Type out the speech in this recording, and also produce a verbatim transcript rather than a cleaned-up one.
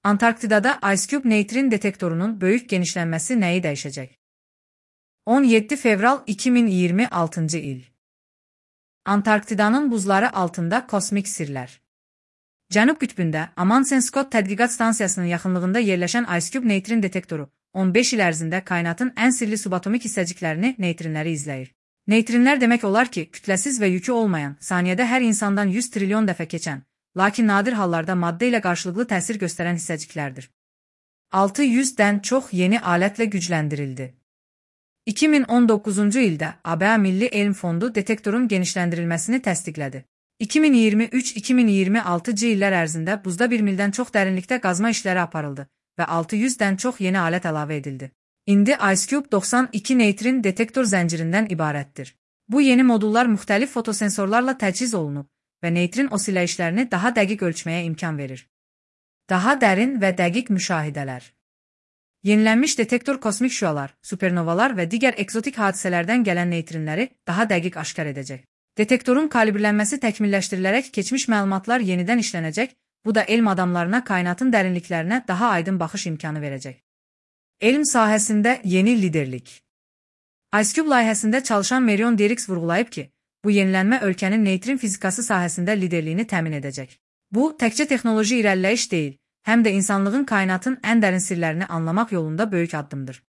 Antarktidada IceCube neutrin detektorunun böyük genişlənməsi nəyi dəyişəcək? on yeddi fevral iki min iyirmi altıncı il. Antarktidanın buzları altında kosmik sirlər. Cənub qütbündə Amundsen Scott tədqiqat stansiyasının yaxınlığında yerləşən IceCube neutrin detektoru on beş il ərzində kainatın ən sirli subatomik hissəciklərini, neutrinləri izləyir. Neutrinlər demək olar ki, kütləsiz və yükü olmayan, saniyədə hər insandan yüz trilyon dəfə keçən, lakin nadir hallarda maddə ilə qarşılıqlı təsir göstərən hissəciklərdir. altı yüzdən çox yeni alətlə gücləndirildi. iki min on doqquzuncu ildə A B A Milli Elm Fondu detektorun genişləndirilməsini təsdiqlədi. iki min iyirmi üç iki min iyirmi altıncı illər ərzində buzda bir mildən çox dərinlikdə qazma işləri aparıldı və altı yüzdən çox yeni alət əlavə edildi. İndi IceCube doxsan iki neutrin detektor zəncirindən ibarətdir. Bu yeni modullar müxtəlif fotosensorlarla təchiz olunub və neutrin osilləyişlərini daha dəqiq ölçməyə imkan verir. Daha dərin və dəqiq müşahidələr. Yenilənmiş detektor kosmik şüalar, supernovalar və digər ekzotik hadisələrdən gələn neutrinləri daha dəqiq aşkar edəcək. Detektorun kalibrlənməsi təkmilləşdirilərək keçmiş məlumatlar yenidən işlənəcək, bu da elm adamlarına kainatın dərinliklərinə daha aydın baxış imkanı verəcək. Elm sahəsində yeni liderlik. IceCube layihəsində çalışan Marion Derricks vurğulayıb ki, bu yenilənmə ölkənin neutrin fizikası sahəsində liderliyini təmin edəcək. Bu, təkcə texnoloji irəliləyiş deyil, həm də insanlığın kainatın ən dərin sirlərini anlamaq yolunda böyük addımdır.